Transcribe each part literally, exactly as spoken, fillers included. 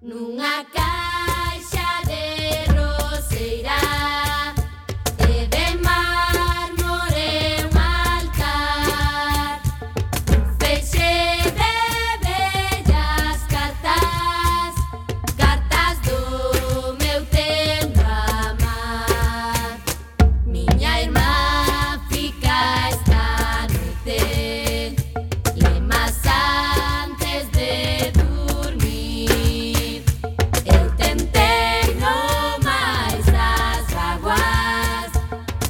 Nunha caixa de roseira e de mármore un altar, un feixe de bellas cartas, cartas do meu tempo amar. Miña irmá fica esta noite, lemas antes de dormir. Eu tentei no máis das vaguas,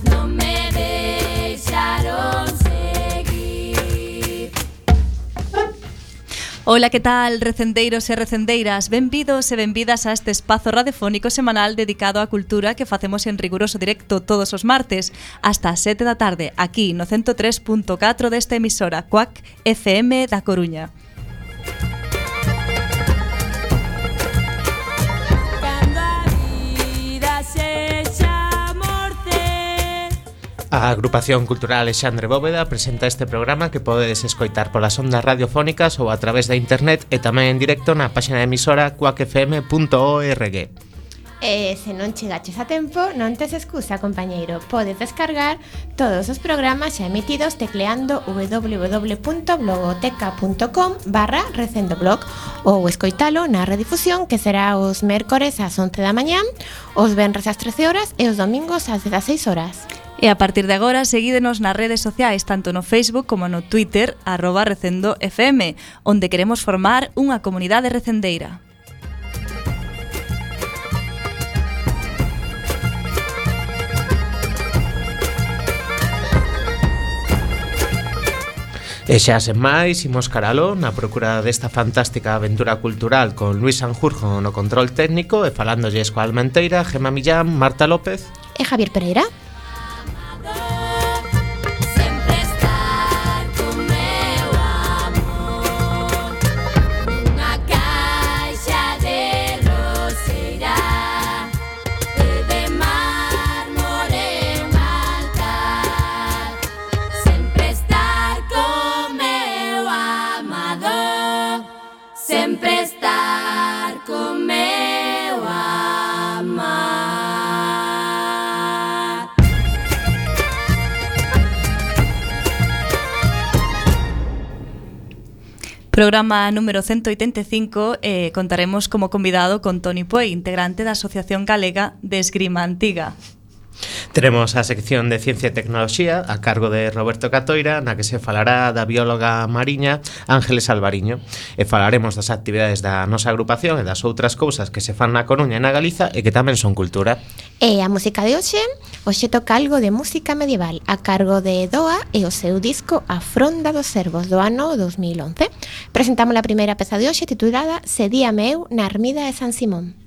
non me deixaron seguir. Ola, que tal, recendeiros e recendeiras? Benvidos e benvidas a este espazo radiofónico semanal dedicado á cultura que facemos en riguroso directo todos os martes hasta as sete da tarde, aquí no ciento tres punto catro desta emisora Cuac F M da Coruña. Cando a vida sexa morte. A Agrupación Cultural Alexandre Bóveda presenta este programa que podedes escoitar polas ondas radiofónicas ou a través da internet e tamén en directo na página de emisora cuac f m punto org. E se non chegaches a tempo, non tes excusa, compañeiro. Podes descargar todos os programas xa emitidos tecleando w w w punto blogoteca punto com barra recendoblog ou escoitalo na redifusión que será os mércores ás once da mañán, os venres ás trece horas e os domingos ás dezaseis horas. E a partir de agora, seguídenos nas redes sociais, tanto no Facebook como no Twitter, arroba Recendo F M, onde queremos formar unha comunidade recendeira. E xa sen máis, imos caralo na procura desta fantástica aventura cultural con Luis Sanjurjo no control técnico e falándolles coa Almenteira, Gemma Millán, Marta López E Javier Pereira. Sempre estar con meu amor, nunha caixa de roseira e de mármore un altar. Sempre estar con meu amado, sempre estar con meu amar. Programa número ciento oitenta e cinco, eh, contaremos como convidado con Toni Puey, integrante da Asociación Galega de Esgrima Antiga. Teremos a sección de Ciencia e Tecnoloxía a cargo de Roberto Catoira, na que se falará da bióloga mariña Ángeles Alvariño, e falaremos das actividades da nosa agrupación e das outras cousas que se fan na Coruña e na Galiza e que tamén son cultura. E a música de hoxe, hoxe toca algo de música medieval a cargo de Doa e o seu disco A Fronda dos Servos do ano dos mil once. Presentamos a primeira peza de hoxe titulada Sedíame eu na Ermida de San Simón.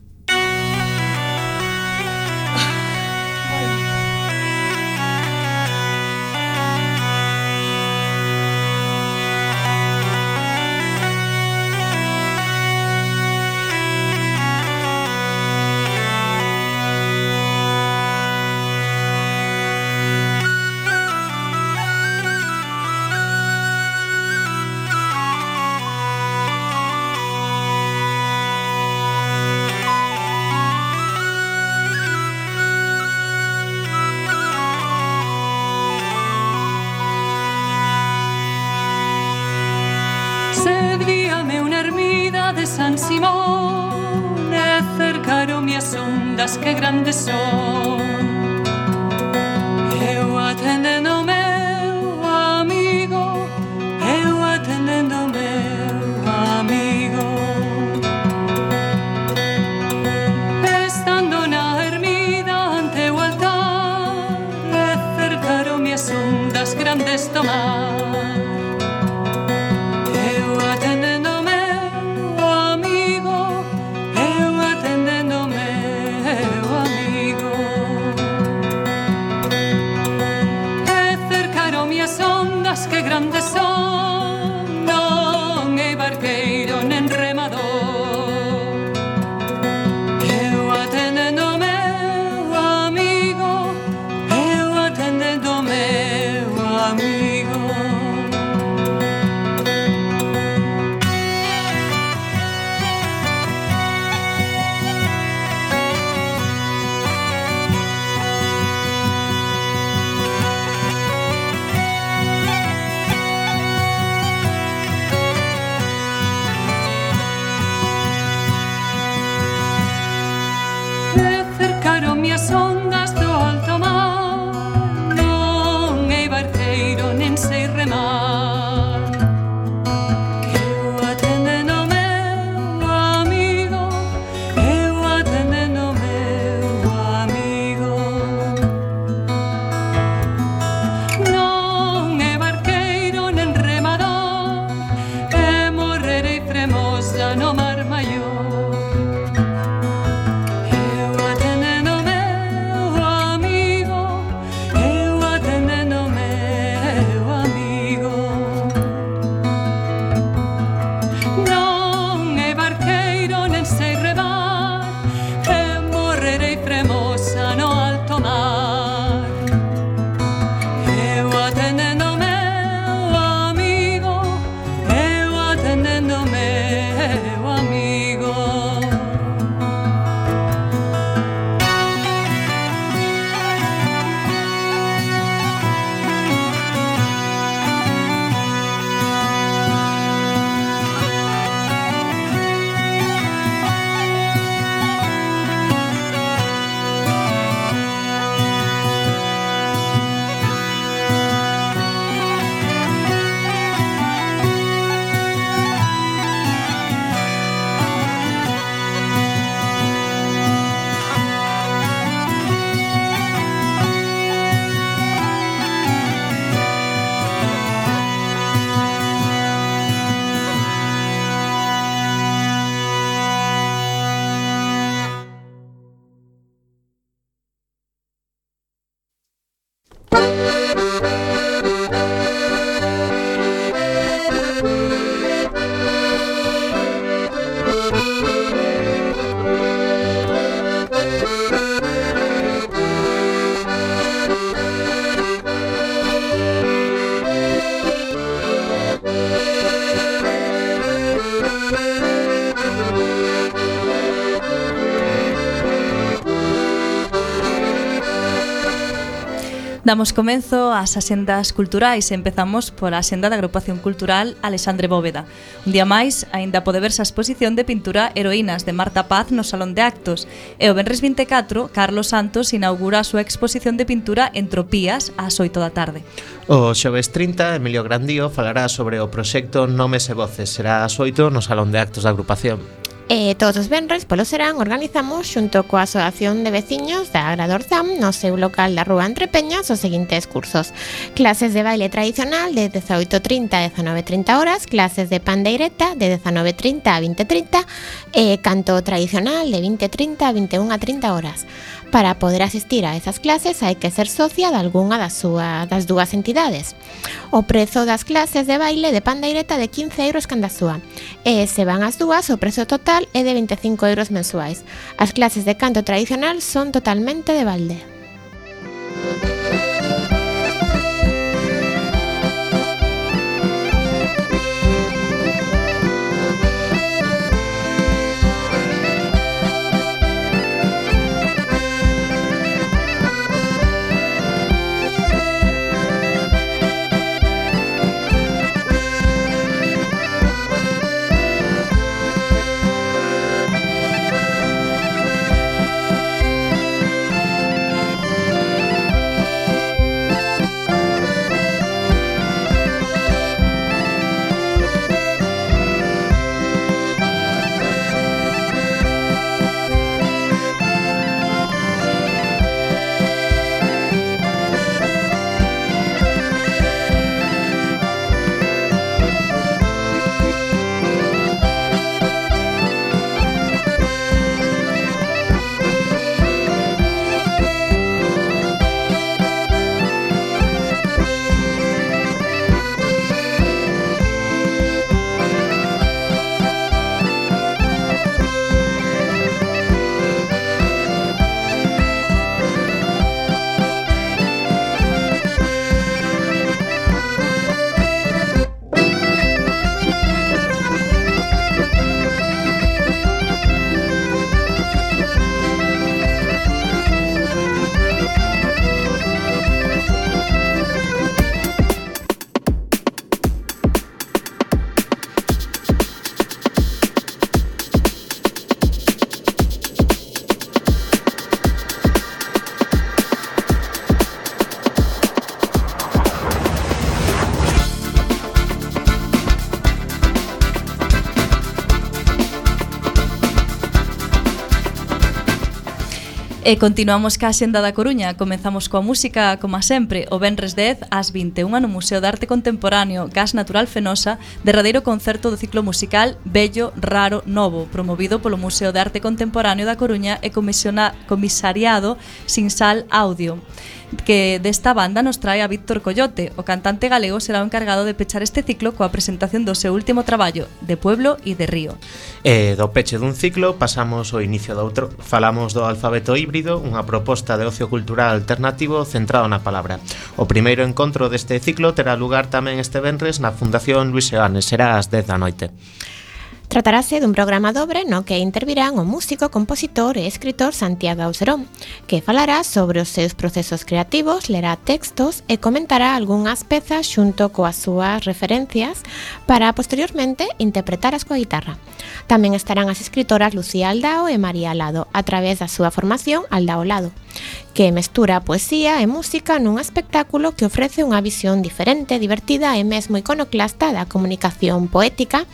Sedíame unha ermida de San Simón e cercaronme as ondas que grandes son. Eu atendendo o meu amigo, eu atendendo o meu amigo. Estando na ermida ante o altar e cercaronme as ondas grandes do mar. Damos comenzo ás axendas culturais e empezamos pola axenda da Agrupación Cultural Alexandre Bóveda. Un día máis, aínda pode verse a exposición de pintura Heroínas de Marta Paz no Salón de Actos e o venres vinte e catro, Carlos Santos inaugura a súa exposición de pintura Entropías ás oito da tarde. O xoves trinta, Emilio Grandío falará sobre o proxecto Nomes e Voces. Será ás oito no Salón de Actos da agrupación. E todos os venres polo serán organizamos xunto coa Asociación de Veciños da Agradorzam no seu local da Rúa Entre Peñas os seguintes cursos: clases de baile tradicional de dezaoito trinta a dezanove trinta horas, clases de pandeireta de dezanove trinta a vinte trinta e canto tradicional de vinte trinta a vinte e unha trinta horas. Para poder asistir a esas clases hai que ser socia de algunha das, súa, das dúas entidades. O prezo das clases de baile de pandeireta de quince euros canda súa e se van as dúas o prezo total é de vinte e cinco euros mensuais. As clases de canto tradicional son totalmente de balde. E continuamos ca Axenda da Coruña. Comezamos coa música, como sempre, o venres dez ás vinte e unha no Museo de Arte Contemporáneo Gas Natural Fenosa, derradeiro concerto do ciclo musical Bello, Raro, Novo, promovido polo Museo de Arte Contemporáneo da Coruña e comisariado Sinsal Audio, que desta banda nos trae a Víctor Coyote. O cantante galego será o encargado de pechar este ciclo coa presentación do seu último traballo, De Pueblo e de Río. E do peche dun ciclo pasamos ao inicio do outro. Falamos do alfabeto híbrido, unha proposta de ocio cultural alternativo centrado na palabra. O primeiro encontro deste ciclo terá lugar tamén este venres na Fundación Luis Seoane, será ás dez da noite. Tratarase dun programa dobre no que intervirán o músico, compositor e escritor Santiago Auserón, que falará sobre os seus procesos creativos, lerá textos e comentará algunhas pezas xunto coas súas referencias para posteriormente interpretaras coa guitarra. Tamén estarán as escritoras Lucía Aldao e María Alado a través da súa formación Aldao Lado, que mestura poesía e música nun espectáculo que ofrece unha visión diferente, divertida e mesmo iconoclasta da comunicación poética,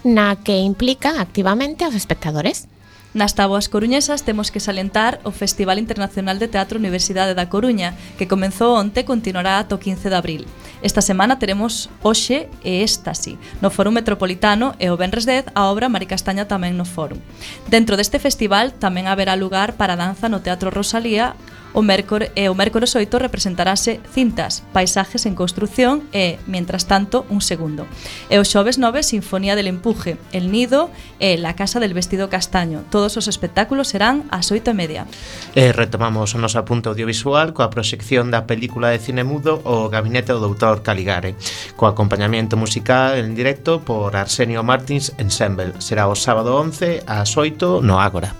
na que implica activamente aos espectadores. Nas táboas coruñesas temos que salientar o Festival Internacional de Teatro Universidade da Coruña, que comezou onte e continuará ata o quince de abril. Esta semana teremos Oxe e Éxtasi no Fórum Metropolitano e o venres dez a obra Mari Castaña tamén no Fórum. Dentro deste festival tamén haberá lugar para a danza no Teatro Rosalía. O mércore, e o mércores oito representarase Cintas, Paisajes en construción e, mientras tanto, un segundo. E o xoves nove, Sinfonía del Empuje, El Nido e La Casa del Vestido Castaño. Todos os espectáculos serán ás oito e media. E retomamos o noso apunte audiovisual coa proxección da película de cine mudo O Gabinete do doutor Caligare, co acompañamiento musical en directo por Arsenio Martins Ensemble. Será o sábado once ás oito no Ágora.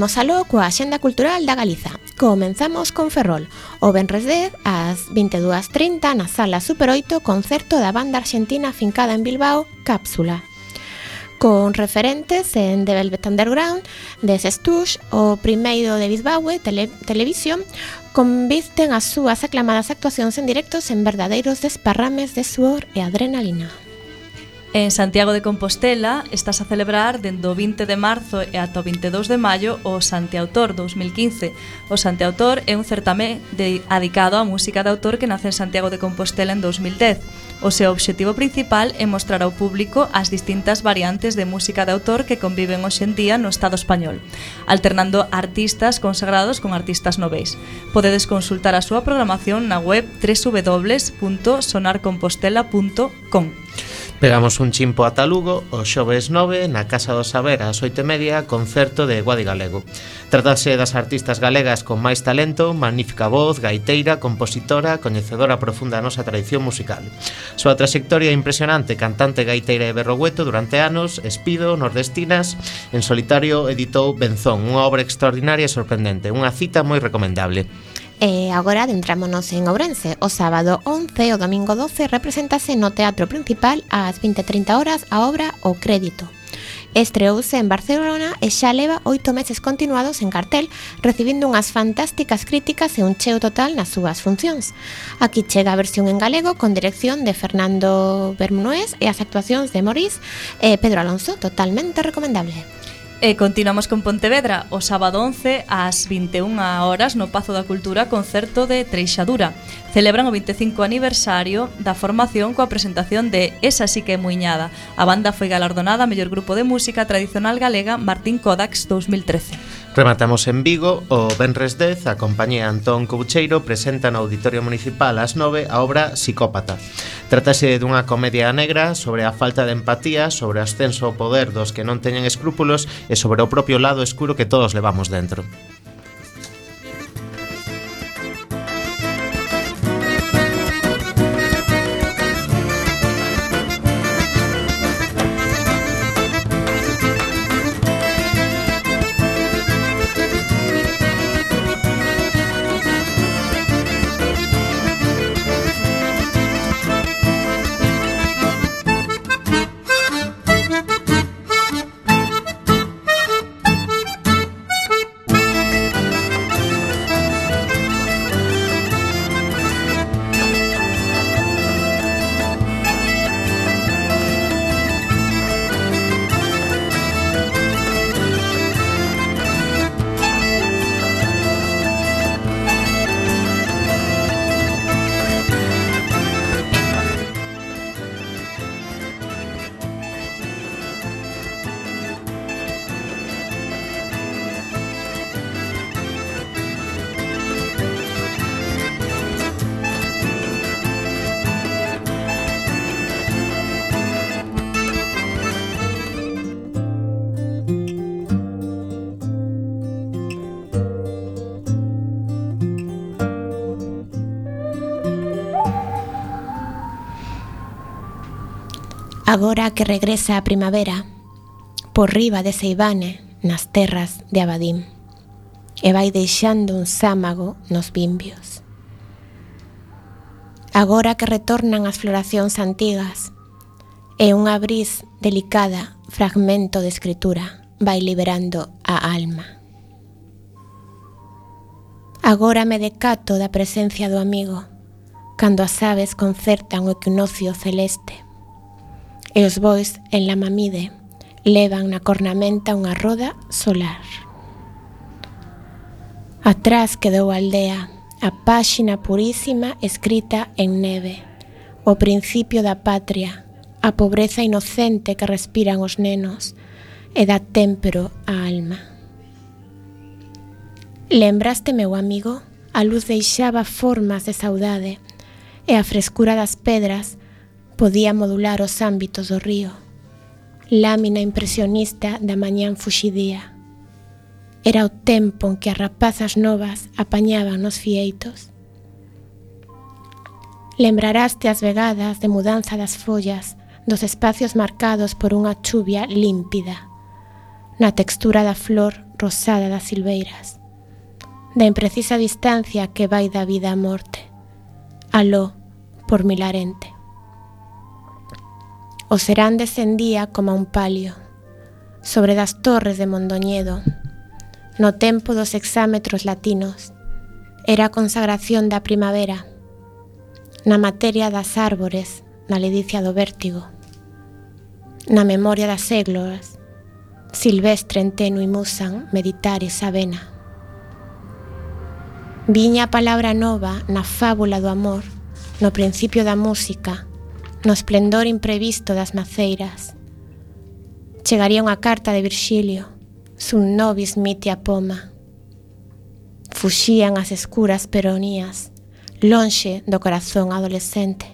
Imos aló coa Axenda Cultural da Galiza. Comenzamos con Ferrol. O venres dez, ás vinte e dúas e trinta, na Sala Super oito, concerto da banda argentina afincada en Bilbao, Cápsula. Con referentes en The Velvet Underground, de Sestush, o primeiro de Bisbaue, tele, Televisión, convisten as súas aclamadas actuacións en directos en verdadeiros desparrames de suor e adrenalina. En Santiago de Compostela estás a celebrar dende o vinte de marzo e ata o vinte e dous de maio o Santiautor dos mil quince. O Santiautor é un certame dedicado á música de autor que nace en Santiago de Compostela en dos mil dez. O seu obxectivo principal é mostrar ao público as distintas variantes de música de autor que conviven hoxe en día no Estado español, alternando artistas consagrados con artistas noveis. Podedes consultar a súa programación na web doble u doble u doble u punto sonar compostela punto com. Pegamos un chimpo ata Lugo, o xoves nove, na Casa do Saber, ás oito e media, concerto de Guadi Galego. Trátase das artistas galegas con máis talento, magnífica voz, gaiteira, compositora, coñecedora profunda da nosa tradición musical. Súa trayectoria impresionante, cantante, gaiteira e berrogueto durante anos, espido, nordestinas, en solitario editou Benzón, unha obra extraordinaria e sorprendente, unha cita moi recomendable. E agora adentrámonos en Ourense. O sábado once e o domingo doce representase no Teatro Principal ás vinte e trinta horas a obra O Crédito. Estreouse en Barcelona e xa leva oito meses continuados en cartel, recibindo unhas fantásticas críticas e un cheo total nas súas funcións. Aquí chega a versión en galego con dirección de Fernando Bermúdez e as actuacións de Maurice e Pedro Alonso, totalmente recomendable. E continuamos con Pontevedra, o sábado once ás vinte e unha horas no Pazo da Cultura, concerto de Treixadura. Celebran o vinte e cinco aniversario da formación coa presentación de Esa sí que é muiñada. A banda foi galardonada a mellor grupo de música tradicional galega Martín Kodax dos mil trece. Rematamos en Vigo, o venres dez, a compañía Antón Coucheiro presenta no Auditorio Municipal ás nove a obra Psicópata. Trátase dunha comedia negra sobre a falta de empatía, sobre o ascenso ao poder dos que non teñen escrúpulos e sobre o propio lado escuro que todos levamos dentro. Agora que regresa a primavera, por riba de Seivane, nas terras de Abadín, e vai deixando un sámago nos bimbios. Agora que retornan as floracións antigas, e unha bris delicada, fragmento de escritura, vai liberando a alma. Agora me decato da presencia do amigo, cando as aves concertan o equinoccio celeste, e os bois en la mamide levan na cornamenta unha roda solar. Atrás quedou a aldea, a páxina purísima escrita en neve, o principio da patria, a pobreza inocente que respiran os nenos e dá témpero á alma. Lembraste, meu amigo, a luz deixaba formas de saudade e a frescura das pedras podía modular os ámbitos do río, lámina impresionista da mañán fuxidía. Era o tempo en que as rapazas novas apañaban nos fieitos. Lembraraste as vegadas de mudanza das follas, dos espacios marcados por unha chuvia límpida, na textura da flor rosada das silveiras, da imprecisa distancia que vai da vida á morte, aló por Milarente. O serán descendía como un palio sobre das torres de Mondoñedo. No tempo dos hexámetros latinos era a consagración da primavera, na materia das árbores, na ledicia do vértigo, na memoria das égloras, silvestre en tenue musan meditaris avena. Viña a palabra nova na fábula do amor, no principio da música, no esplendor imprevisto das maceiras. Chegaría unha carta de Virxilio, sun nobis mitia poma. Fuxían as escuras peronías, lonxe do corazón adolescente.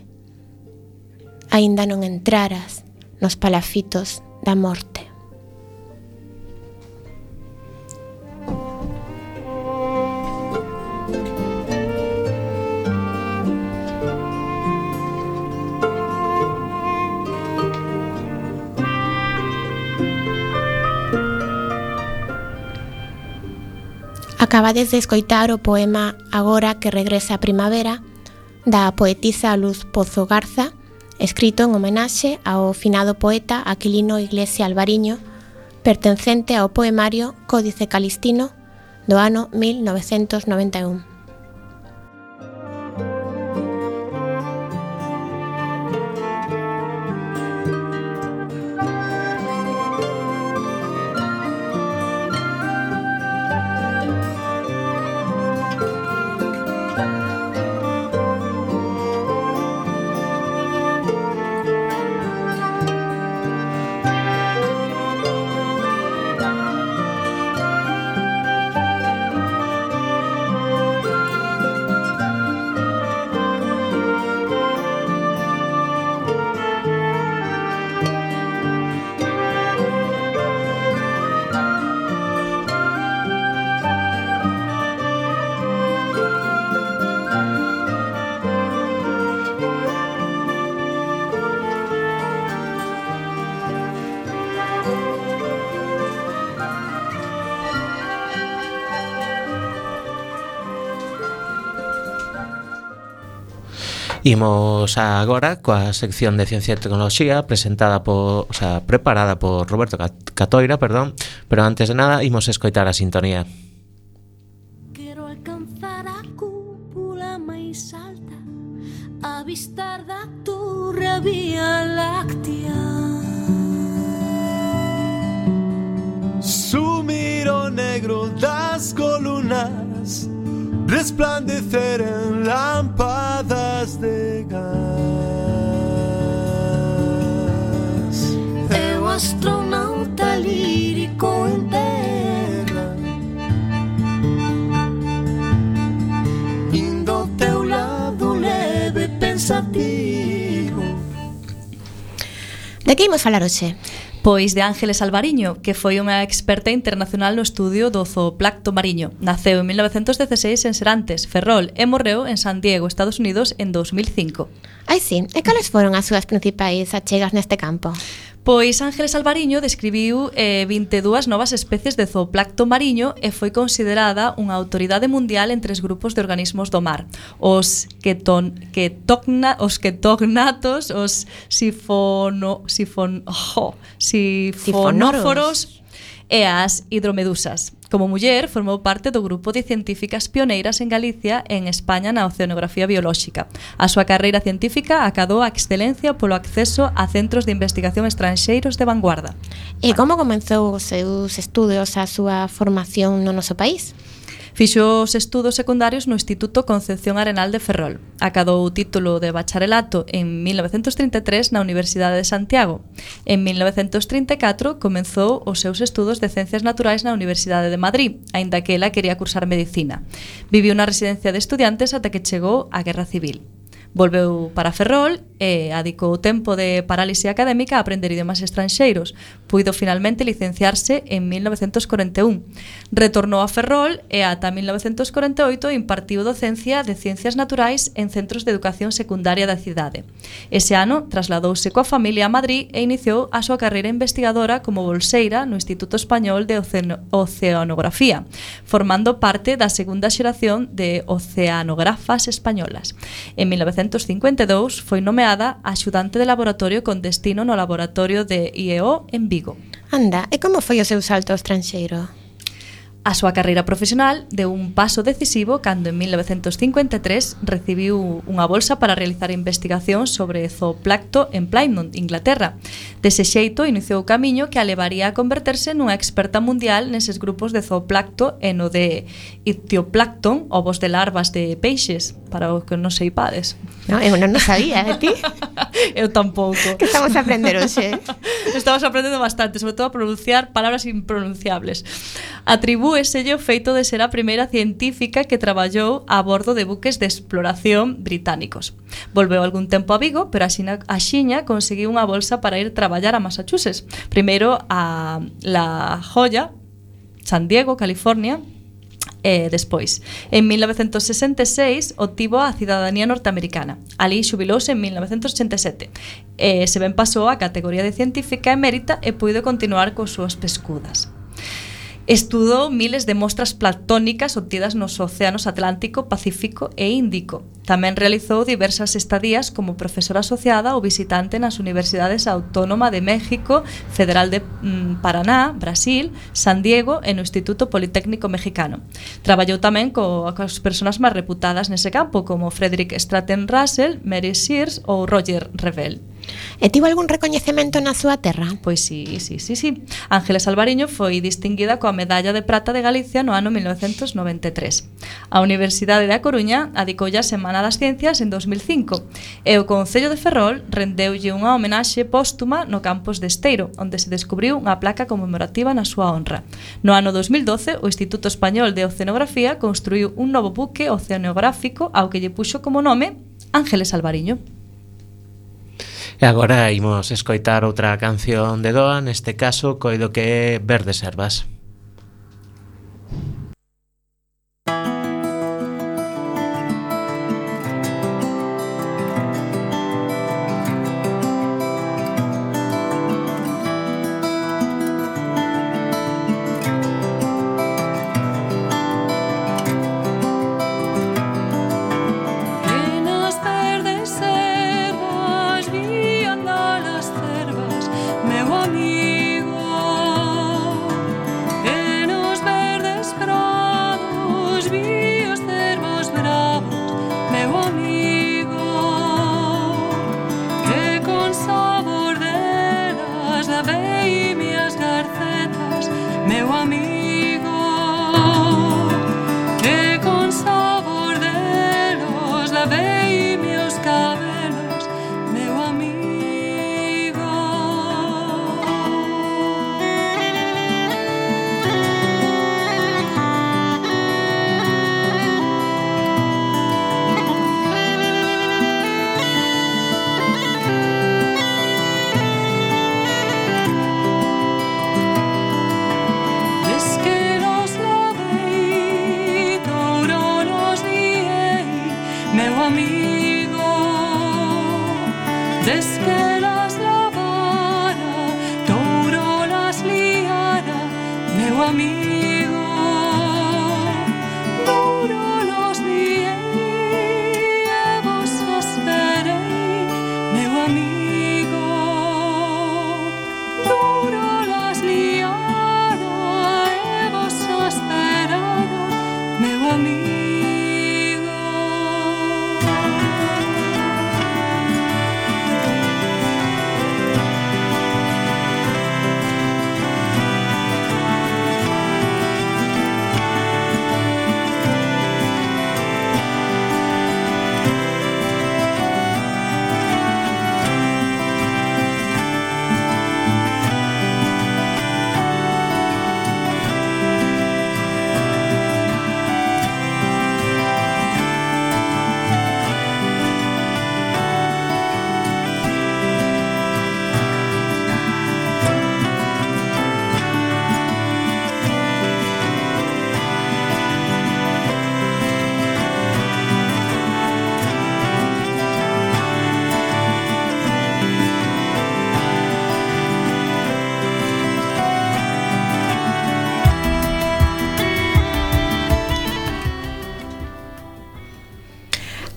Aínda non entraras nos palafitos da morte. Acabades de escoitar o poema Agora que regresa a primavera, da poetisa Luz Pozo Garza, escrito en homenaxe ao finado poeta Aquilino Iglesia Alvariño, pertencente ao poemario Códice Calistino do ano mil novecentos noventa e un. Imos agora coa sección de Ciencia e Tecnoloxía presentada por, o sea, preparada por Roberto Catoira, perdón, pero antes de nada imos escoitar a sintonía. Quero alcanzar a cúpula máis alta, avistar da torre a Vía Láctea. Sumir o negro das columnas, resplandecer en lámpadas de gas. Eu astronauta lírico en terra, indo ao teu lado leve pensativo. De que imos falar hoxe? Pois de Ángeles Alvariño, que foi unha experta internacional no estudio do zooplancto mariño. Naceu en mil novecentos dieciséis en Serantes, Ferrol, e morreu en San Diego, Estados Unidos, en dos mil cinco. Ai sí, e cales foron as súas principais achegas neste campo? Pois Ángeles Alvariño describiu eh, vinte e dúas novas especies de zooplancto mariño e foi considerada unha autoridade mundial en tres grupos de organismos do mar: os keton, ketogna, os ketognatos, os sifono, sifon, oh, sifonóforos e as hidromedusas. Como muller, formou parte do grupo de científicas pioneiras en Galicia e en España na oceanografía biolóxica. A súa carreira científica acadou a excelencia polo acceso a centros de investigación estranxeiros de vanguarda. E como comenzou os seus estudos, a súa formación no noso país? Fixo os estudos secundarios no Instituto Concepción Arenal de Ferrol. Acadou o título de bacharelato en mil novecentos trinta e tres na Universidade de Santiago. En mil novecentos trinta e catro comenzou os seus estudos de Ciencias Naturais na Universidade de Madrid, aínda que ela quería cursar Medicina. Viviu na residencia de estudiantes ata que chegou a Guerra Civil. Volveu para Ferrol e adicou o tempo de parálise académica a aprender idiomas estranxeiros. Puido finalmente licenciarse en mil novecentos corenta e un. Retornou a Ferrol e ata mil novecentos corenta e oito impartiu docencia de ciencias naturais en centros de educación secundaria da cidade. Ese ano trasladouse coa familia a Madrid e iniciou a súa carreira investigadora como bolseira no Instituto Español de Oceano- Oceanografía, formando parte da segunda xeración de oceanógrafas españolas. En mil novecentos cincuenta e dous foi nomeada axudante de laboratorio con destino no laboratorio de I E O en Vigo. Anda, e como foi o seu salto ao estranxeiro? A súa carreira profesional deu un paso decisivo cando en mil novecentos cincuenta e tres recibiu unha bolsa para realizar investigación sobre zooplancto en Plymouth, Inglaterra. Dese xeito iniciou o camiño que a levaría a converterse nunha experta mundial neses grupos de zooplancto e no de ictioplancton, ovos de larvas de peixes, para os que non seipades. No, eu non o sabía, e ti? Eu tampouco. Que estamos a aprender hoxe? Estamos aprendendo bastante, sobre todo a pronunciar palabras impronunciables. Atribúeselle o feito de ser a primeira científica que traballou a bordo de buques de exploración británicos. Volveu algún tempo a Vigo, pero axiña, axiña conseguiu unha bolsa para ir traballar a Massachusetts. Primeiro a La Jolla, San Diego, California, e despois, en mil novecentos sesenta e seis, obtivo a cidadanía norteamericana. Ali xubilouse en mil novecentos ochenta e sete. E se ben pasou a categoría de científica emérita e puido continuar cos súas pescudas. Estudou miles de mostras planctónicas obtidas nos océanos Atlántico, Pacífico e Índico. Tamén realizou diversas estadías como profesora asociada ou visitante nas Universidades Autónoma de México, Federal de mm, Paraná, Brasil, San Diego e no Instituto Politécnico Mexicano. Traballou tamén co, coas persoas máis reputadas nese campo, como Frederick Stratton Russell, Mary Sears ou Roger Revelle. E tivo algún recoñecemento na súa terra? Pois sí, sí, sí, sí. Ángeles Alvariño foi distinguida coa Medalla de Prata de Galicia no ano mil novecentos noventa e tres. A Universidade da Coruña adicoulle a Semana das Ciencias en dos mil cinco e o Concello de Ferrol rendeulle unha homenaxe póstuma no campus de Esteiro, onde se descubriu unha placa conmemorativa na súa honra. No ano dos mil doce, o Instituto Español de Oceanografía construiu un novo buque oceanográfico ao que lle puxo como nome Ángeles Alvariño. E agora imos escoitar outra canción de Doa, neste caso coido que é Verdes Herbas.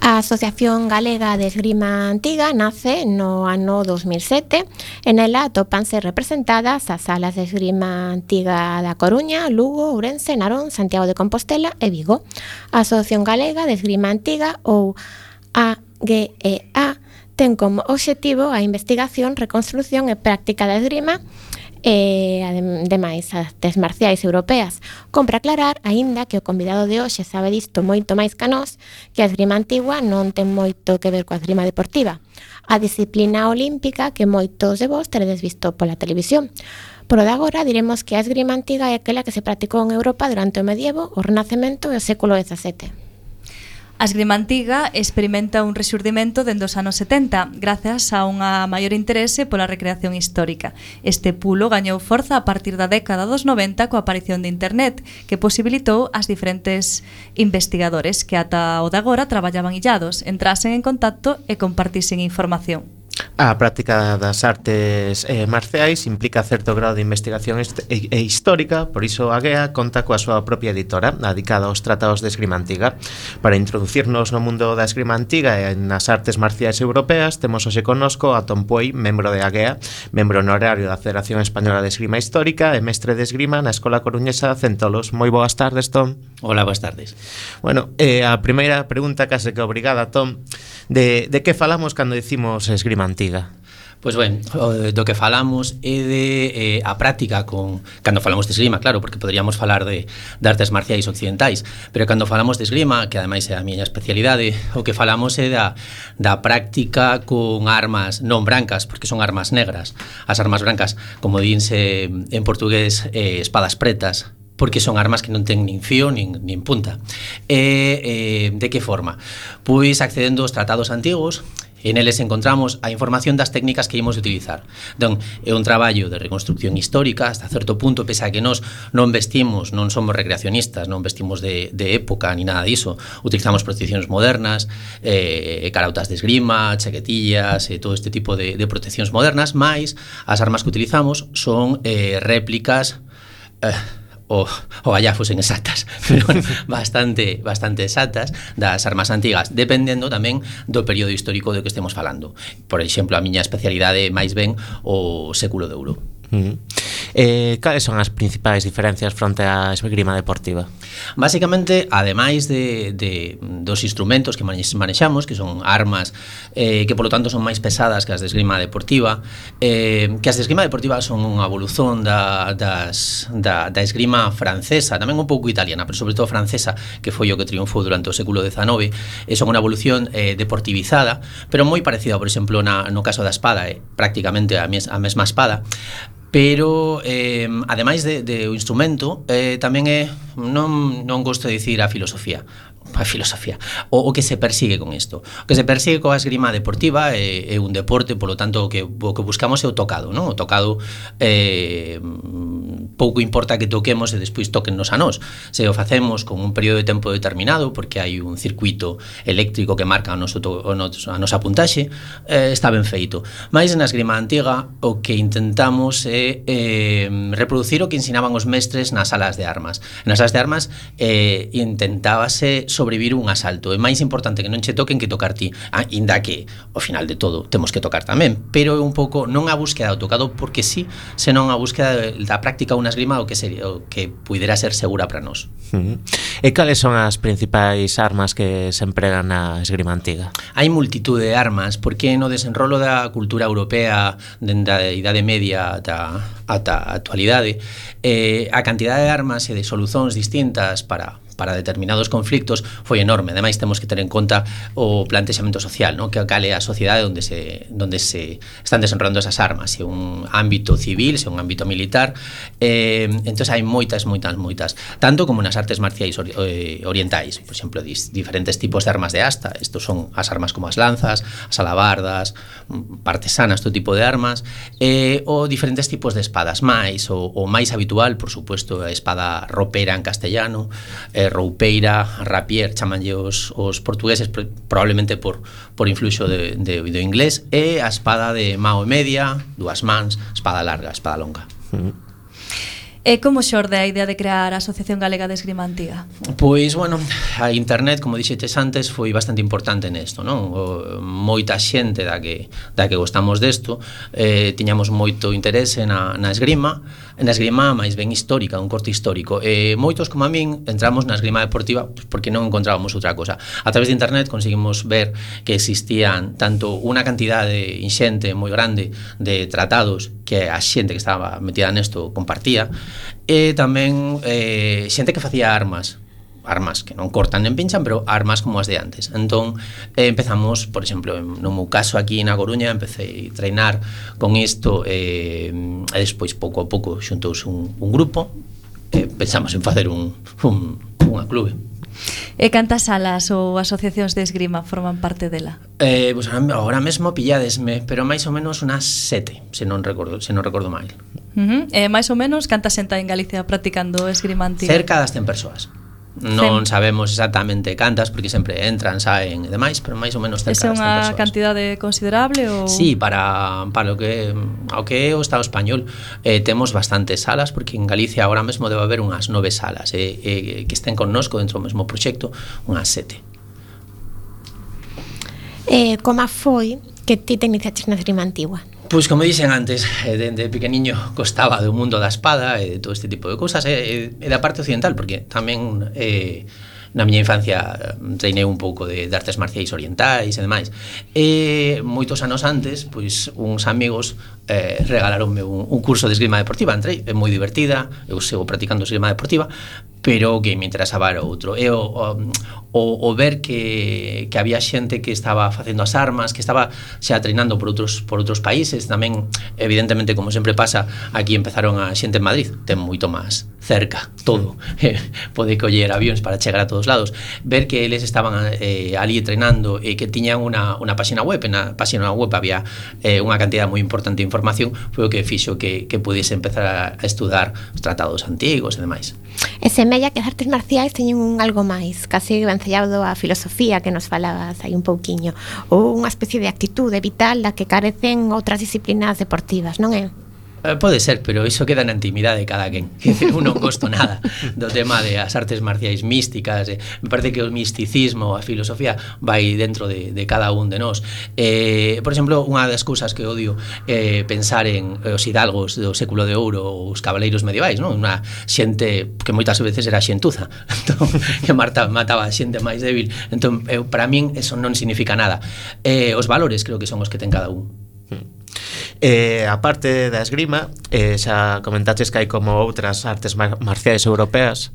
A Asociación Galega de Esgrima Antiga nace no ano dos mil sete e nela atópanse representadas as salas de esgrima antiga da Coruña, Lugo, Ourense, Narón, Santiago de Compostela e Vigo. A Asociación Galega de Esgrima Antiga, ou A G E A, ten como obxectivo a investigación, reconstrución e práctica da esgrima e ademais as artes marciais europeas. Compre aclarar, aínda que o convidado de hoxe sabe disto moito máis que nós, que a esgrima antigua non ten moito que ver coa esgrima deportiva, a disciplina olímpica que moitos de vos teredes visto pola televisión. Por o de agora diremos que a esgrima antiga é aquela que se practicou en Europa durante o medievo, o Renacemento e o século dezasete. A esgrima antiga experimenta un rexurdimento dende os anos setenta, grazas a unha maior interese pola recreación histórica. Este pulo gañou forza a partir da década dos noventa coa aparición de internet, que posibilitou as diferentes investigadores que ata o de agora traballaban illados, entrasen en contacto e compartisen información. A práctica das artes eh, marciais implica certo grado de investigación e, e histórica, por iso a G E A conta coa súa propia editora dedicada aos tratados de esgrima antiga. Para introducirnos no mundo da esgrima antiga e nas artes marciais europeas, temos hoxe connosco a Tom Puey, membro de a G E A, membro honorario da Federación Española de Esgrima Histórica e mestre de esgrima na Escola Coruñesa Centolos. Moi boas tardes, Tom. Hola, boas tardes. Bueno, eh, a primeira pregunta case que obrigada, Tom, de, de que falamos cando dicimos esgrima antiga? Pois ben, do que falamos é de eh, a práctica con cando falamos de esgrima, claro, porque poderíamos falar de, de artes marciais occidentais, pero cando falamos de esgrima, que ademais é a miña especialidade, o que falamos é da, da práctica con armas non brancas, porque son armas negras. As armas brancas, como dinse en portugués, eh, espadas pretas, porque son armas que non ten nin fío nin, nin punta. E eh, de que forma? Pois accedendo aos tratados antigos, e neles encontramos a información das técnicas que ímos utilizar. Entón, é un traballo de reconstrucción histórica hasta certo punto, pese a que nós non vestimos, non somos recreacionistas, non vestimos de, de época ni nada diso. Utilizamos proteccións modernas, eh, carautas de esgrima, chaquetillas e todo este tipo de, de proteccións modernas, mais as armas que utilizamos son eh, réplicas eh, o, o allá fosen exactas, pero bastante bastante exactas das armas antigas, dependendo tamén do período histórico do que estemos falando. Por exemplo, a miña especialidade máis ben o século de ouro. Uh-huh. Eh, cales son as principais diferencias fronte á esgrima deportiva? Básicamente, ademais de, de dos instrumentos que manexamos, que son armas eh, que polo tanto son máis pesadas que as de esgrima deportiva, eh, que as de esgrima deportiva son unha evolución da, das, da, da esgrima francesa, tamén un pouco italiana, pero sobre todo francesa, que foi o que triunfou durante o século dezanove, e son unha evolución eh, deportivizada, pero moi parecida, por exemplo, na, no caso da espada, eh, prácticamente a, mes, a mesma espada, pero eh, ademais de, de o instrumento eh, tamén é, non, non gosto de dicir a filosofía, a filosofía o, o que se persigue con isto. O que se persigue coa esgrima deportiva é, é un deporte, polo tanto o que, o que buscamos é o tocado, non? O tocado eh, pouco importa que toquemos e despois toquennos a nós. Se o facemos con un período de tempo determinado, porque hai un circuito eléctrico que marca a, noso, a, nos, a nosa puntaxe, eh, está ben feito. Mais na esgrima antiga o que intentamos é eh, reproducir o que ensinaban os mestres nas salas de armas. Nas salas de armas eh, intentábase sobrevivir un asalto. É máis importante que non che toquen que tocar ti, ainda que ao final de todo temos que tocar tamén, pero é un pouco non a búsqueda do tocado porque sí, senón a búsqueda da práctica unha esgrima o que sería o que puidera ser segura para nós. Uh-huh. E cales son as principais armas que se empregan na esgrima antiga? Hai multitude de armas, porque no desenrolo da cultura europea dende a Idade Media ata, ata a actualidade, eh, a cantidade de armas e de solucións distintas para para determinados conflictos foi enorme. Ademais, temos que ter en conta o plantexamento social, ¿no? Que cale a sociedade onde se, onde se están desenrolando esas armas, se un ámbito civil, se un ámbito militar. Eh, entón, hai moitas, moitas, moitas. Tanto como nas artes marciais ori eh, orientais. Por exemplo, dis, diferentes tipos de armas de asta. Estos son as armas como as lanzas, as alabardas, partesanas, todo tipo de armas. Eh, ou diferentes tipos de espadas máis, o, o máis habitual, por supuesto, a espada ropera en castellano, eh, roupeira, rapier, chamanlle os, os portugueses, probablemente por, por influxo de, de, do inglés, e a espada de mao e media, dúas mans, espada larga, espada longa. Mm. E como xorde a idea de crear a Asociación Galega de Esgrima Antiga? Pois, bueno, a internet, como dixetes antes, foi bastante importante nesto, non? O, moita xente da que, da que gostamos desto, eh, tiñamos moito interese na, na esgrima, na esgrima máis ben histórica, un corte histórico. E moitos, como a min, entramos na esgrima deportiva porque non encontrábamos outra cosa. A través de internet conseguimos ver que existían tanto unha cantidade inxente moi grande de tratados que a xente que estaba metida nesto compartía, e tamén eh, xente que facía armas armas que non cortan nen pinchan, pero armas como as de antes. Entón, eh, empezamos, por exemplo, no meu caso aquí na Coruña, empecé a treinar con isto, eh, e despois pouco a pouco xuntouse un, un grupo, e pensamos en facer un, un, unha clube. E cantas salas ou asociacións de esgrima forman parte dela? Eh, pues ahora mesmo pilladesme, pero máis ou menos unas sete, se non recordo, se non recordo mal. Uh -huh. E máis ou menos canta xente en Galicia practicando esgrima antiga? Cerca das cen persoas. Non sabemos exactamente cantas porque sempre entran, saen e demais, pero máis ou menos cerca das cen persoas. É unha cantidade considerable ou? Sí, para para o que ao que é o Estado español, eh, temos bastantes salas porque en Galicia agora mesmo debe haber unhas nove salas e eh, eh, que estén connosco dentro do mesmo proxecto, unhas sete. Eh, como foi que ti te iniciaches na esgrima antigua? Pois como dixen antes, dende pequeniño costaba do mundo da espada e de todo este tipo de cousas e, e da parte occidental, porque tamén eh, na miña infancia treinei un pouco de, de artes marciais orientais e demais. E moitos anos antes, pois uns amigos eh, regalaronme un, un curso de esgrima deportiva. Entrei, é moi divertida, eu sigo practicando esgrima deportiva, pero o que me interesaba era outro. E o, o, o ver que, que había xente que estaba facendo as armas, que estaba xa treinando por outros, por outros países, tamén, evidentemente, como sempre pasa, aquí empezaron a xente en Madrid, ten moito máis cerca, todo, eh, pode coller avións para chegar a todos lados, ver que eles estaban eh, ali treinando e que tiñan unha, unha página web, na página web había eh, unha cantidad moi importante de información, foi o que fixo que, que pudiese empezar a estudar os tratados antigos e demais. E semella que as artes marciais teñen un algo máis, casi vencellado á filosofía que nos falabas aí un pouquiño, ou unha especie de actitude vital da que carecen outras disciplinas deportivas, non é? Eh, pode ser, pero iso queda na intimidade de cada quen. Eu non gosto nada do tema de as artes marciais místicas. Eh. Me parece que o misticismo, a filosofía vai dentro de, de cada un de nós. Eh, por exemplo, unha das cousas que odio é eh, pensar en os hidalgos do século de ouro ou os cabaleiros medievais, non? Unha xente que moitas veces era xentuza, entón, que mataba, mataba a xente máis débil. Entón, eu, para min, eso non significa nada. Eh, os valores creo que son os que ten cada un. Eh, a parte da esgrima, eh, xa comentaches que hai como outras artes mar marciais europeas.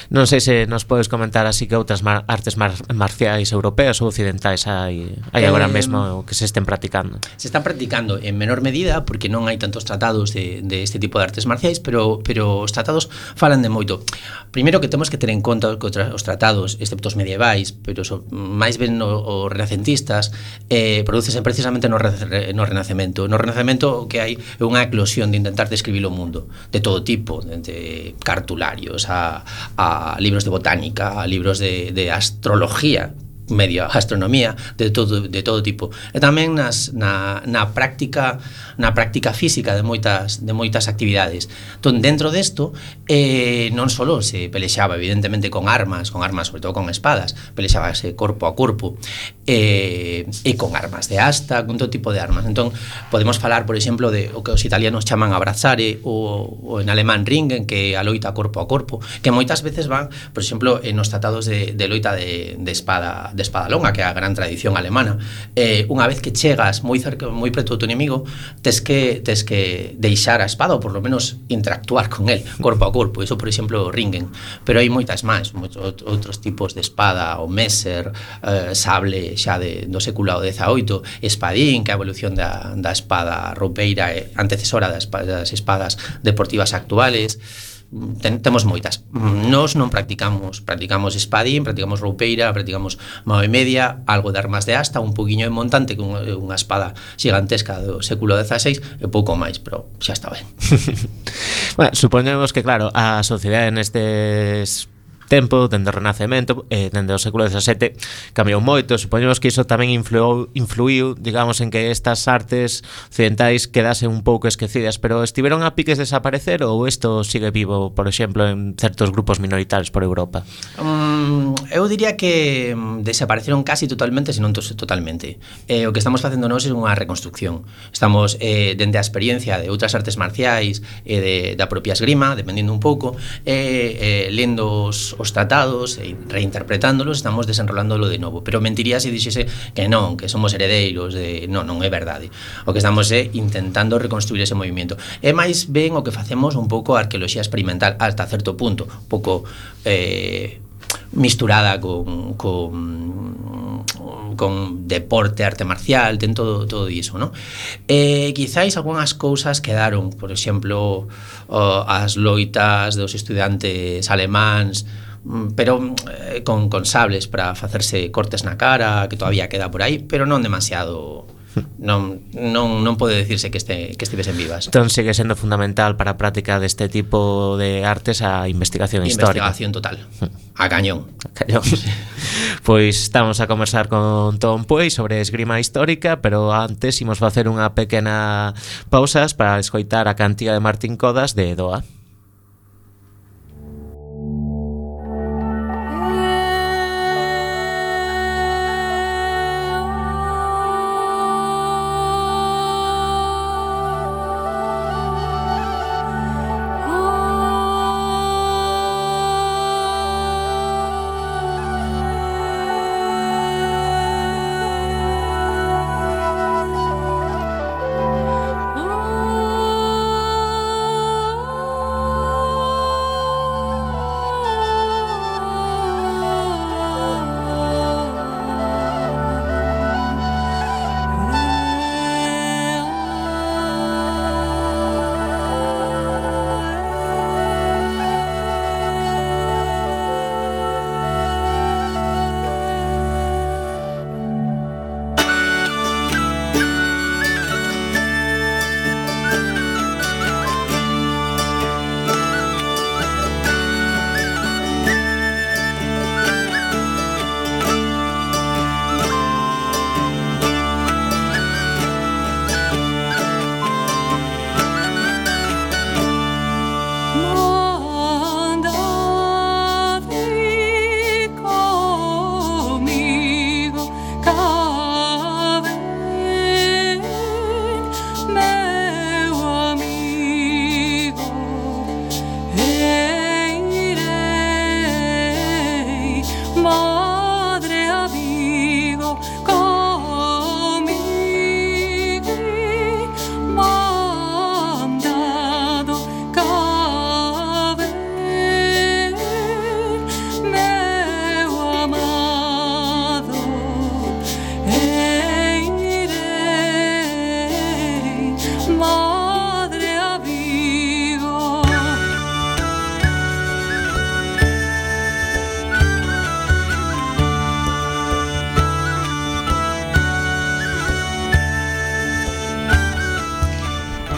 Non sei se nos podes comentar así que outras mar artes mar marciais europeas ou occidentais hai, hai agora eh, mesmo que se estén practicando. Se están practicando en menor medida porque non hai tantos tratados de, de este tipo de artes marciais, pero, pero os tratados falan de moito. Primeiro que temos que ter en conta que os tratados, excepto os medievais, pero so, máis ben os renacentistas, eh, producesen precisamente no, re, no Renacemento. No Renacemento o que hai é unha eclosión de intentar describir o mundo de todo tipo, de cartularios a, a libros de botánica, a libros de, de astrología, media astronomía, de todo de todo tipo. E tamén nas na na práctica na práctica física de moitas de moitas actividades. Entón, dentro desto, eh non só se pelexaba evidentemente con armas, con armas, sobre todo con espadas, pelexábase corpo a corpo, eh e con armas de asta, con todo tipo de armas. Entón, podemos falar, por exemplo, de o que os italianos chaman abrazare ou, ou en alemán ringen, que a loita corpo a corpo, que moitas veces van, por exemplo, en os tratados de, de loita de, de espada de espada longa, que é a gran tradición alemana. Eh, unha vez que chegas moi cerca, moi preto do teu inimigo, tes que tes que deixar a espada ou por lo menos interactuar con el corpo a corpo. Iso, por exemplo, o ringen. Pero hai moitas máis, moitos outros tipos de espada, o messer, eh, sable xa de, do século dezaoito, espadín, que é a evolución da, da espada roupeira e antecesora das, das espadas deportivas actuales. Ten, temos moitas. Nós non practicamos, practicamos espadín, practicamos roupeira, practicamos mao e media, algo de armas de asta, un poquinho de montante con unha espada xigantesca do século dezaseis e pouco máis, pero xa está ben. Bueno, supoñemos que claro, a sociedade nestes tempo, dende o Renacemento, eh, dende o século dezasete, cambiou moito. Supoñemos que iso tamén influou, influiu, digamos, en que estas artes occidentais quedasen un pouco esquecidas, pero estiveron a piques de desaparecer ou isto sigue vivo, por exemplo, en certos grupos minoritarios por Europa? Um, eu diría que desapareceron casi totalmente, se non totalmente. Eh, o que estamos facendo nós é unha reconstrucción. Estamos, eh, dende a experiencia de outras artes marciais e de, da propia esgrima, dependendo un pouco, eh, eh, lendo os, os tratados e reinterpretándolos, estamos desenrolándolo de novo. Pero mentiría se dixese que non, que somos heredeiros de... Non, non é verdade. O que estamos é intentando reconstruir ese movimento. É máis ben o que facemos un pouco a arqueoloxía experimental hasta certo punto, un pouco eh, misturada con, con con deporte, arte marcial, ten todo, todo iso, ¿no? Eh, quizáis algunhas cousas quedaron, por exemplo, oh, as loitas dos estudantes alemáns, pero eh, con, con sables para facerse cortes na cara, que todavía queda por aí, pero non demasiado... Non, non, non pode decirse que, este, que estivesen vivas. Entón sigue sendo fundamental para a práctica deste tipo de artes a investigación histórica. Investigación total, a cañón. A cañón. Pois estamos a conversar con Tom Puey sobre esgrima histórica, pero antes imos facer unha pequena pausas para escoitar a cantiga de Martín Codas de Doa.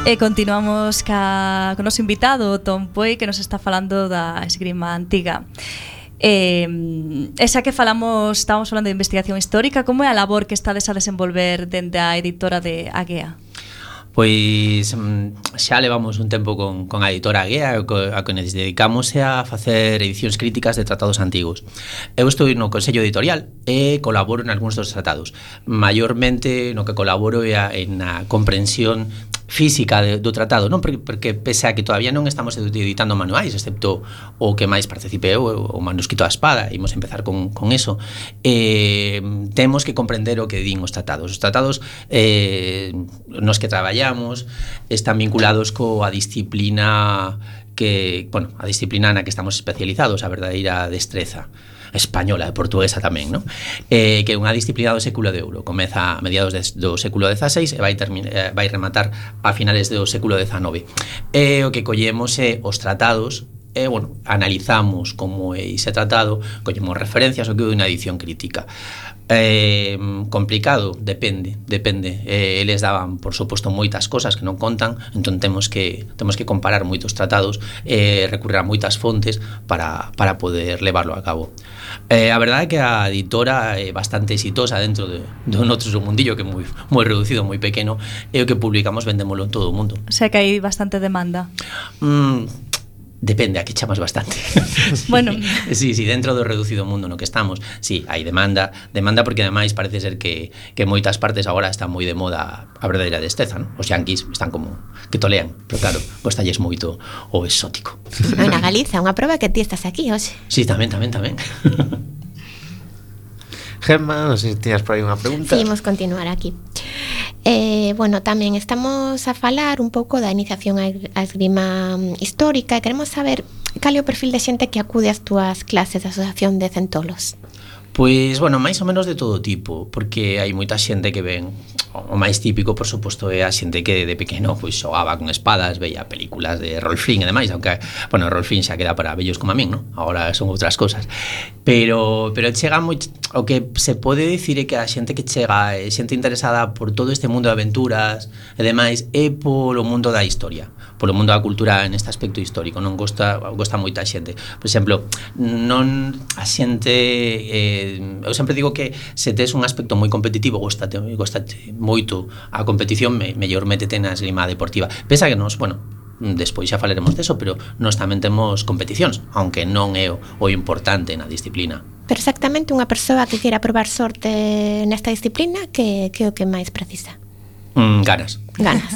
E continuamos ca, con o noso invitado, Tom Puey, que nos está falando da esgrima antiga. Eh, esa que falamos, estábamos falando de investigación histórica, como é a labor que estades a desenvolver dende a editora de Agea? Pois xa levamos un tempo con, con a editora Agea, a que nos dedicamos a facer edicións críticas de tratados antigos. Eu estou no Consello Editorial e colaboro en algúns dos tratados. Maiormente no que colaboro é a, en a comprensión física de, do tratado, non? Porque, porque pese a que todavía non estamos editando manuais, excepto o que máis participe eu, o manuscrito a espada, imos empezar con, con eso, eh, temos que comprender o que din os tratados. Os tratados eh, nos que traballamos están vinculados coa disciplina que, bueno, a disciplina na que estamos especializados, a verdadeira destreza española e portuguesa tamén, non? Eh, que é unha disciplina do século de ouro. Comeza a mediados de, do século dezaseis e vai, termi- eh, vai rematar a finales do século dezanove. E o que collemos é os tratados e, bueno, analizamos como é ese tratado, collemos referencias ao que é unha edición crítica. Eh, complicado, depende, depende. Eh, eles daban, por suposto, moitas cosas que non contan, entón temos que temos que comparar moitos tratados e eh, recurrir a moitas fontes para, para poder levarlo a cabo. Eh, a verdade é que a editora é bastante exitosa dentro de, de noutro mundillo que é moi, moi reducido, moi pequeno, e o que publicamos vendémolo en todo o mundo. O sea que hai bastante demanda. Mm, Depende, aquí chamas bastante. Bueno. Sí, sí, dentro do reducido mundo no que estamos, sí, hai demanda, demanda porque ademais parece ser que, que moitas partes agora está moi de moda a verdadeira desteza, ¿no? Os yanquis están como que tolean, pero claro, gostalles moito o exótico. Na Galiza, unha proba que ti estás aquí hoxe. Sí, tamén, tamén, tamén. Gemma, non sei se tiñas por aí unha pregunta. Sí, imos continuar aquí. Eh, bueno, tamén estamos a falar un pouco da iniciación á esgrima histórica e queremos saber cal é o perfil de xente que acude ás túas clases de asociación de centolos. Pois, bueno, máis ou menos de todo tipo, porque hai moita xente que ven, o máis típico, por suposto, é a xente que de pequeno pois xogaba con espadas, veía películas de Rolf Flynn e demais, aunque, bueno, Rolf Flynn xa queda para vellos como a min, non? Agora son outras cosas. Pero, pero chega moi, o que se pode dicir é que a xente que chega, é xente interesada por todo este mundo de aventuras e demais, é polo mundo da historia, polo mundo da cultura en este aspecto histórico, non gosta, gosta moita xente. Por exemplo, non a xente... Eh, eu sempre digo que se tes un aspecto moi competitivo, gostate, gostate moito a competición, me, mellor métete na esgrima deportiva. Pensa que nos, bueno, despois xa falaremos deso, pero nós tamén temos competicións, aunque non é o, o importante na disciplina. Pero exactamente unha persoa que queira probar sorte nesta disciplina, que, que é o que máis precisa? Mm, ganas. Ganas.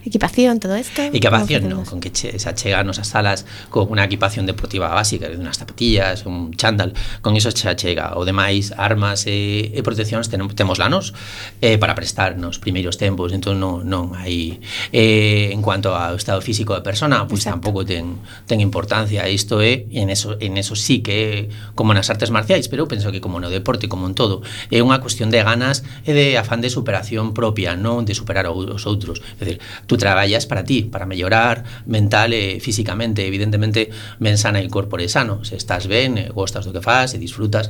Equipación, todo isto. Equipación, non, con que che, xa chega a nosas salas con unha equipación deportiva básica, unhas zapatillas, un chándal, con iso xa chega. O demais, armas e, e proteccións ten, temos lanos eh, para prestar nos primeiros tempos, entón non, non hai... Eh, en cuanto ao estado físico da persona, pois pues, tampouco ten, ten importancia. Isto é, en eso, en eso sí que é como nas artes marciais, pero eu penso que como no deporte, como en todo, é unha cuestión de ganas e de afán de superación propia, non de superar os outros. É dicir, tú traballas para ti, para mellorar mental e físicamente, evidentemente ben sana e corpore sano. Se estás ben, e gostas do que fas e disfrutas,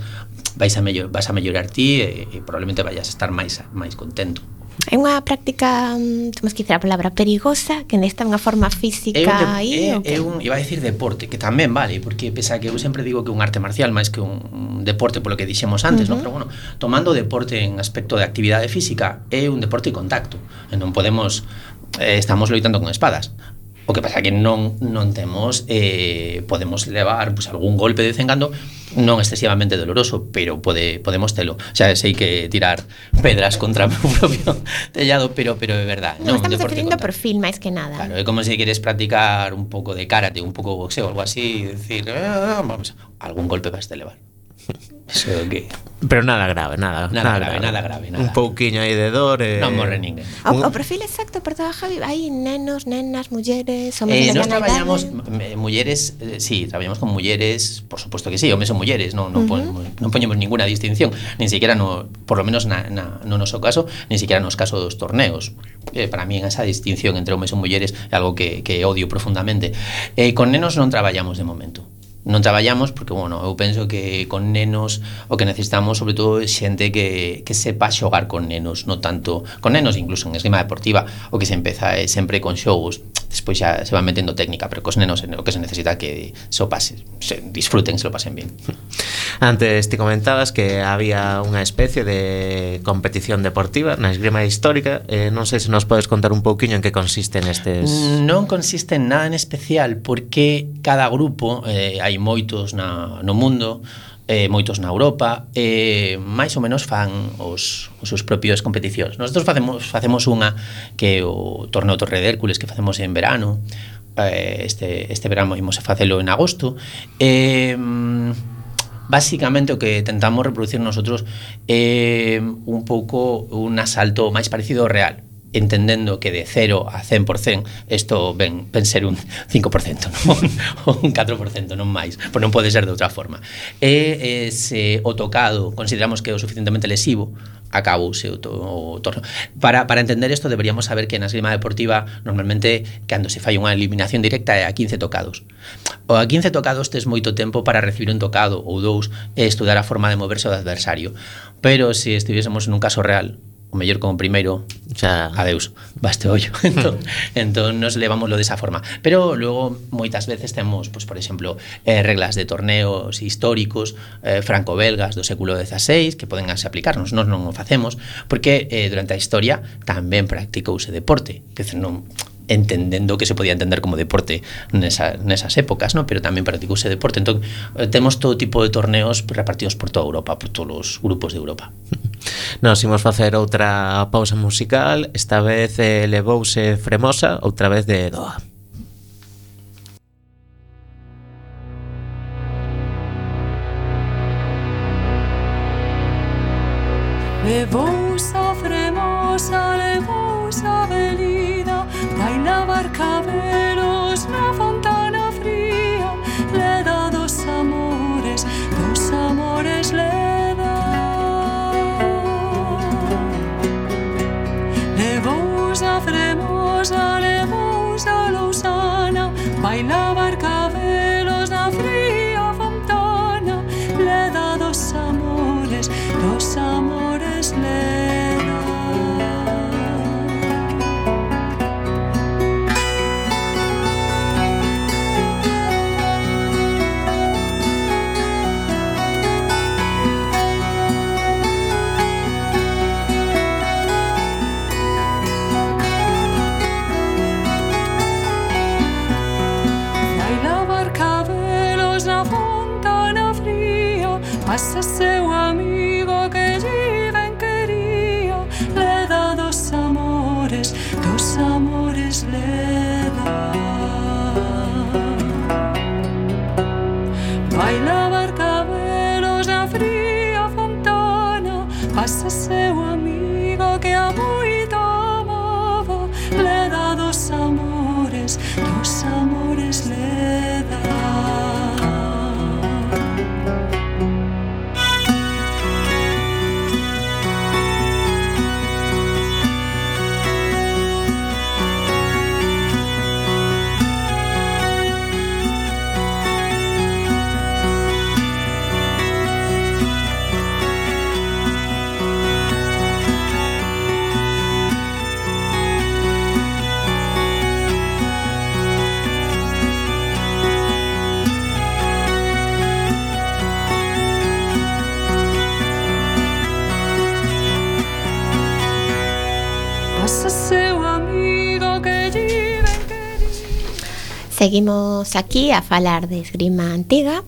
vais a mellor, vas a mellorar ti e, e probablemente vayas a estar máis máis contento. É unha práctica, temos que dicir a palabra perigosa, que nesta unha forma física aí, é, é un, iba a decir deporte, que tamén vale, porque pesa que eu sempre digo que un arte marcial máis que un deporte polo que dixemos antes, uh-huh. ¿no? Pero bueno, tomando deporte en aspecto de actividade física, é un deporte de contacto, e non podemos eh, estamos loitando con espadas. O que pasa que non non temos eh, podemos levar pues, algún golpe de vez en cando, non excesivamente doloroso, pero pode, podemos telo. Xa sei que tirar pedras contra o meu propio tellado, pero pero é verdad. Non, no, estamos definindo perfil máis que nada. Claro, é como se queres practicar un pouco de karate, un pouco de boxeo, algo así, decir, eh, vamos, algún golpe vas a levar. Eso que... Pero nada grave, nada, nada, nada grave, grave, nada grave, nada. Un pouquiño aí de dor e... Non morre ninguén. O, o perfil exacto, perdón, Javi, hai nenos, nenas, mulleres, homes eh, de Nos traballamos eh, mulleres, eh, sí, traballamos con mulleres, por suposto que sí, homes son mulleres, non non, uh-huh. pon, non poñemos ninguna distinción, nin siquiera no, por lo menos na, na, no noso caso, nin siquiera nos casos dos torneos. Eh, para mí esa distinción entre homes e mulleres é algo que, que odio profundamente. Eh, con nenos non traballamos de momento. Non traballamos porque, bueno, eu penso que con nenos o que necesitamos sobre todo é xente que, que sepa xogar con nenos, non tanto con nenos, incluso en esgrima deportiva o que se empeza é sempre con xogos, despois xa se va metendo técnica, pero cos nenos o que se necesita que se o pase, se disfruten, se lo pasen bien. Antes te comentabas que había unha especie de competición deportiva na esgrima histórica, eh, non sei se nos podes contar un pouquiño en que consisten estes... Non consiste en nada en especial porque cada grupo, eh, hai moitos na, no mundo, eh, moitos na Europa, eh, máis ou menos fan os, os seus propios competicións. Nosotros facemos, facemos unha que é o torneo Torre de Hércules que facemos en verano, eh, este, este verano imos a facelo en agosto, e... Eh, básicamente o que tentamos reproducir nosotros é eh, un pouco un asalto máis parecido ao real, entendendo que de cero a cen por cento isto ven, ven ser un cinco por cento, non? un catro por cento, non máis, pois non pode ser de outra forma. E eh, se o tocado consideramos que é o suficientemente lesivo, acabouse o, to, o torno. Para, para entender isto deberíamos saber que na esgrima deportiva normalmente cando se fai unha eliminación directa é a quince tocados. O a quince tocados tes moito tempo para recibir un tocado ou dous e estudar a forma de moverse do adversario. pero se si estivéssemos nun caso real, o mellor como primeiro, xa adeus, baste ollo. entón, entón nos levámoslo desa forma. Pero logo moitas veces temos, pues, por exemplo, eh, reglas de torneos históricos eh, franco-belgas do século dieciséis que poden así aplicarnos. Nós non o facemos porque eh, durante a historia tamén practicouse deporte, que non entendendo que se podía entender como deporte nesa, nesas épocas, ¿no? Pero tamén practicouse deporte. Entón, temos todo tipo de torneos repartidos por toda Europa, por todos os grupos de Europa. Nos imos facer outra pausa musical. Esta vez eh, levouse Fremosa, outra vez de Doa. Levousa Fremosa, levousa velida, vai lavar cabelos na fontana fría, le dá dos amores, dos amores le dá. Levousa Fremosa, levousa lousana, vai lavar cabelos na fría fontana, le dá dos amores, dos amores le dá. Pasa seu amigo que lle ben quería, le dá dos amores, dos amores le dá. Vai lavar cabelos na fría fontana, pasa seu amigo que a moito amaba, le dá dos amores, dos amores le dá. Seguimos aquí a falar de esgrima antiga.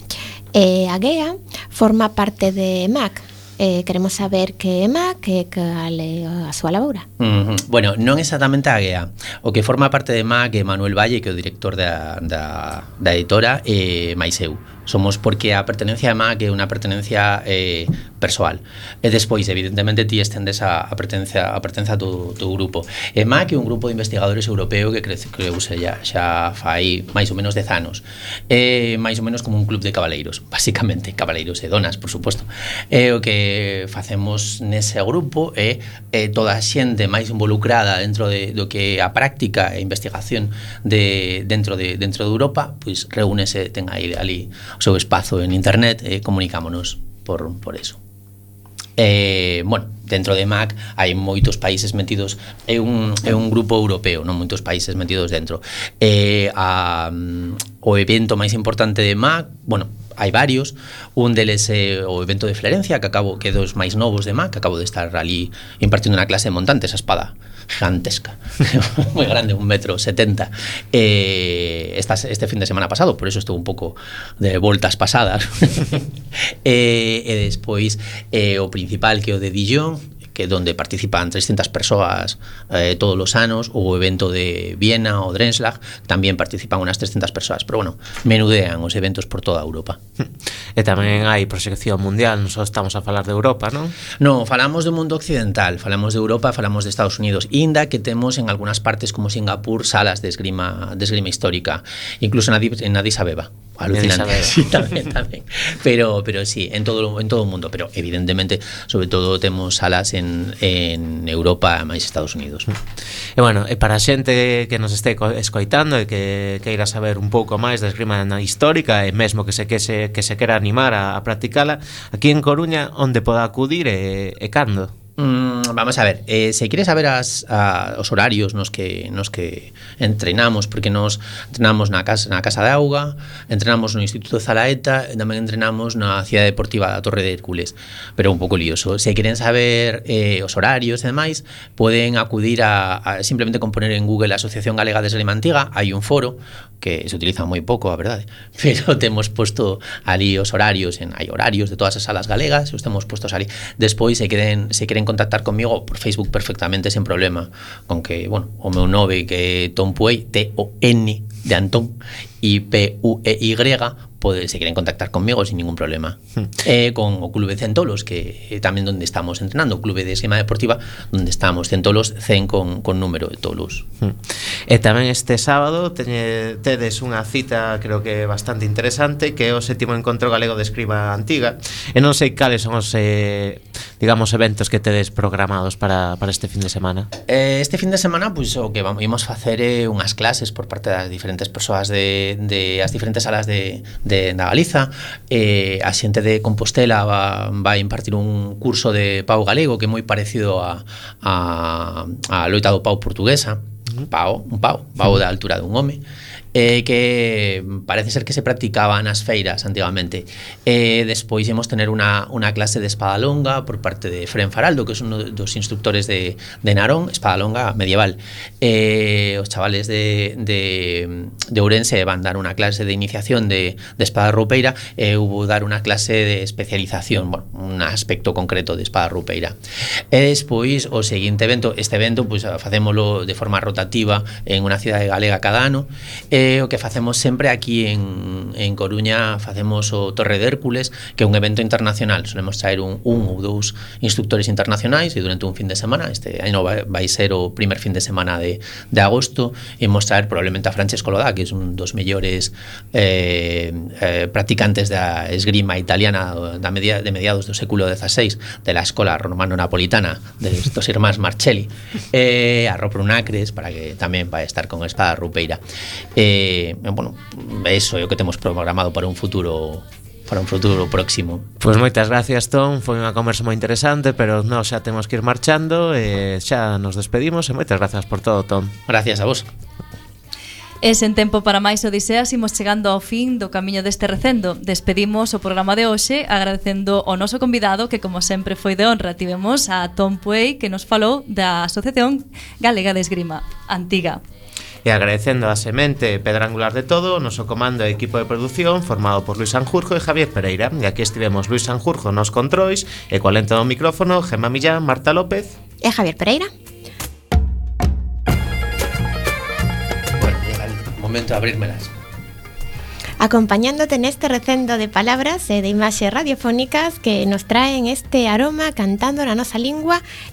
Eh, a G E A forma parte de M A C. Eh, queremos saber que é M A C, que cal é a súa laboura. Uh-huh. Bueno, non exactamente a G E A. O que forma parte de M A C é Manuel Valle, que é o director da, da, da editora, e máis eu. Somos porque a pertenencia a M A C é unha pertenencia eh, persoal. E despois, evidentemente, ti estendes a, a pertenencia a pertenencia a tu, tu grupo. E M A C é un grupo de investigadores europeo que crece, creuse xa, xa fai máis ou menos dez anos. É máis ou menos como un club de cabaleiros, basicamente, cabaleiros e donas, por suposto. E o que facemos nese grupo é, é toda a xente máis involucrada dentro de, do que a práctica e investigación de, dentro, de, dentro de Europa, pois reúnese, ten aí ali o seu espazo en internet e comunicámonos por, por eso. Eh, bueno, dentro de M A C hai moitos países metidos, é un, é un grupo europeo, non moitos países metidos dentro. Eh, a, o evento máis importante de M A C, bueno, hai varios, un deles é o evento de Florencia, que acabo que é dos máis novos de M A C, que acabo de estar ali impartindo unha clase de montante, esa espada gigantesca, moi grande, un metro setenta. Eh, esta, este fin de semana pasado, por eso estou un pouco de voltas pasadas. e, e despois eh, o principal, que é o de Dijon, que é onde participan trescentas persoas eh, todos os anos, o evento de Viena ou Drenslag, tamén participan unas trescentas persoas, pero bueno, menudean os eventos por toda Europa. E tamén hai proxección mundial, non só estamos a falar de Europa, non? Non, falamos do mundo occidental, falamos de Europa, falamos de Estados Unidos, inda que temos en algunhas partes como Singapur salas de esgrima, de esgrima histórica, incluso en Addis Abeba. Alucinante. Sí, tamén, tamén. Pero, pero sí, en todo, en todo o mundo, pero evidentemente, sobre todo temos salas en en, en Europa e máis Estados Unidos. E bueno, e para a xente que nos este escoitando e que queira saber un pouco máis da esgrima histórica e mesmo que se que se, que se quera animar a, a practicala, aquí en Coruña onde poda acudir e, e cando? Mm, vamos a ver, eh, se quere saber as, a, os horarios nos que nos que entrenamos, porque nos entrenamos na casa na Casa de Auga, entrenamos no Instituto de Zalaeta e tamén entrenamos na Cidade Deportiva da Torre de Hércules, pero un pouco lioso. Se queren saber eh, os horarios e demais, poden acudir a, a simplemente con poner en Google a Asociación Galega de Esgrima Antiga, hai un foro que se utiliza moi pouco, a verdade, pero temos posto ali os horarios, en hai horarios de todas as salas galegas, os temos postos ali. Despois se queren se queren contactar conmigo por Facebook perfectamente sin problema, con que, bueno, o meu nove que é Ton Puey, T O N de Antón e P U E Y, pode, se queren contactar conmigo sin ningún problema. Hmm. Eh, con o Clube Centolos, que é tamén onde estamos entrenando, o Clube de Esgrima Deportiva, onde estamos, Centolos cen con, con número de tolos. Hmm. E tamén este sábado teñe, tedes unha cita, creo que bastante interesante, que é o sétimo encontro galego de esgrima antiga, e non sei cales son os, eh, digamos, eventos que tedes programados para, para este fin de semana. Eh, este fin de semana, pues, o que vamos a facer é eh, unhas clases por parte das diferentes persoas de, de as diferentes salas de, de na Galiza. Eh, a xente de Compostela va, va a impartir un curso de pau galego que é moi parecido a, a, a loita do pau portuguesa. Pau, un pau, pau da altura dun home, eh, que parece ser que se practicaba nas feiras antigamente. Eh, despois imos tener unha, unha clase de espada longa por parte de Fren Faraldo, que é un dos instructores de, de Narón, espada longa medieval. Eh, os chavales de, de, de Ourense van dar unha clase de iniciación de, de espada roupeira e eh, hubo dar unha clase de especialización, bueno, un aspecto concreto de espada roupeira. E despois o seguinte evento, este evento pues, facémolo de forma rotativa en unha cidade galega cada ano. E o que facemos sempre aquí en, en Coruña, facemos o Torre de Hércules, que é un evento internacional. Solemos traer un, un ou dous instructores internacionais e durante un fin de semana, este ano vai, vai ser o primer fin de semana de, de agosto, e imos traer probablemente a Francesco Lodá, que é un dos mellores eh, eh, practicantes da esgrima italiana da media, de mediados do século dieciséis, de la escola romano-napolitana de estos irmáns Marcelli, eh, a Ropro Nacres, para que tamén vai estar con espada rupeira. Eh, bueno, eso é o que temos programado para un futuro para un futuro próximo. Pois pues moitas gracias, Tom, foi unha conversa moi interesante, pero nós xa temos que ir marchando e xa nos despedimos e moitas gracias por todo, Tom. Gracias a vos. E sen tempo para máis odiseas, imos chegando ao fin do camiño deste recendo. Despedimos o programa de hoxe agradecendo ao noso convidado, que como sempre foi de honra. Tivemos a Tom Puey, que nos falou da Asociación Galega de Esgrima Antiga. E agradecendo a semente pedra angular de todo, o noso comando e equipo de produción formado por Luis Sanjurjo e Javier Pereira. E aquí estivemos Luis Sanjurjo nos controis e coa lenta do micrófono Gemma Millán, Marta López e Javier Pereira. Momento de abrírmelas. Acompañándote neste recendo de palabras e de imaxes radiofónicas que nos traen este aroma cantando na nosa lingua